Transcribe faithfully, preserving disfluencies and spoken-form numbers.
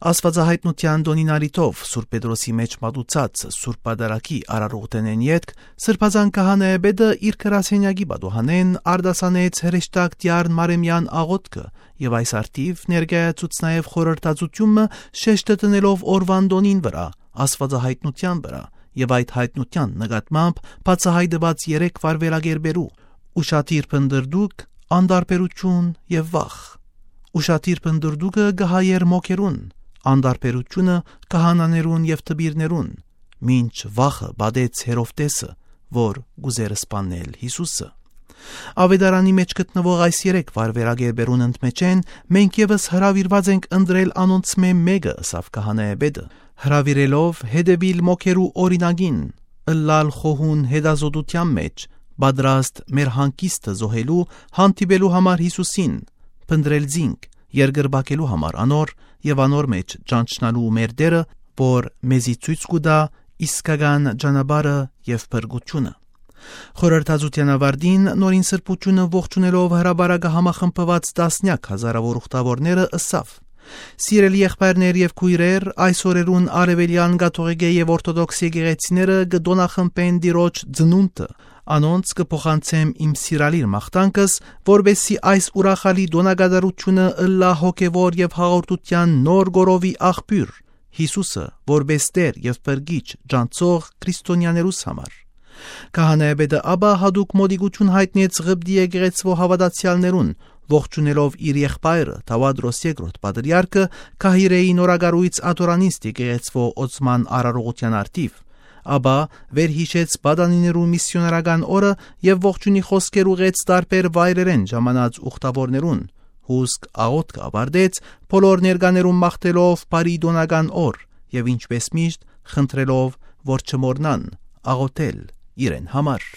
Աստուածահայտնութեան տօնին առիթով Սուրբ Պետրոսի մէջ մատուցած Սուրբ Պատարագի արարողութենէն ետք, Սրբազան քահանայապետը իր գրասենեակի պատուհանէն արտասանեց հրեշտակ Տիառ Մարեմեան աղօթքը եւ այս առթիվ ներկայացուց նաեւ խորհրդածութիւն մը, շեշտը դնելով օրուան տօնին վրայ, Աստուածահայտնութեան վրայ, եւ այդ հայտնութեան նկատմամբ բացայայտուած երեք վարվելակերպերու՝ ուշադիր փնտռտուք, անտարբերութիւն եւ վախ։ Ուշադիր փնտռտուքը կը հայէր մոգերուն, անտարբերութիւնը՝ քահանաներուն եւ դպիրներուն, մինչ վախը պատեց Հերովտէսը, որ կ'ուզէր սպաննել Յիսուսը։ Աւետարանի մէջ գտնուող այս երեք վարվելակերպերուն ընդմէջէն մենք եւս հրաւիրուած ենք ընտրել անոնցմէ մէկը, ըսաւ քահանայապետը, հրաւիրելով հետեւիլ մոգերու օրինակին, ըլլալ խոհուն հետազօտութեան մէջ, պատրաստ մեր հանգիստը զոհելու, հանդիպելու համար Յիսուսին, փնտռել զինք, երկրպագելու համար անոր եւ անոր մէջ ճանչնալու մեր Տէրը, որ մեզի ցոյց կու տայ իսկական ճանապարհը եւ փրկութիւնը։ Խորհրդածութեան աւարտին Նորին Սրբութիւնը ողջունելով հրապարակը համախմբուած տասնեակ հազարաւոր ուխտաւորները ըսաւ. «Սիրելի եղբայրներ եւ քոյրեր, այս օրերուն արեւելեան կաթողիկէ եւ օրթոդոքս եկեղեցիները կը տօնախմբեն Տիրոջ ծնունդը։ Անոնց կը փոխանցեմ իմ սիրալիր մաղթանքս, որպեսզի այս ուրախալի տօնակատարութիւնը ըլլայ հոգեւոր եւ հաղորդութեան նոր գորովի աղբիւր, Յիսուսը, որպէս Տէր եւ Փրկիչ, ճանչցող քրիստոնեաներուս համար»։ Քահանայապետը ապա յատուկ մօտիկութիւն յայտնեց Ղպտի եկեղեցւոյ հաւատացեալներուն, ողջունելով իր եղբայրը, Թաւադրոս երկրորդ պատրիարքը, Քահիրէի նորակառոյց Աթորանիստ եկեղեցւոյ օծման արարողութեան առթիվ։ Ապա վեր յիշեց պատանիներու միսիոնարական օրը եւ ողջունի խօսքեր ուղղեց տարբեր վայրերէն ժամանած ուխտաւորներուն։ Հուսկ աղօթքը աւարտեց, բոլոր ներկաներուն մաղթելով բարի տօնական օր եւ, ինչպէս միշտ, խնդրելով, որ չմոռնան աղօթել իրեն համար։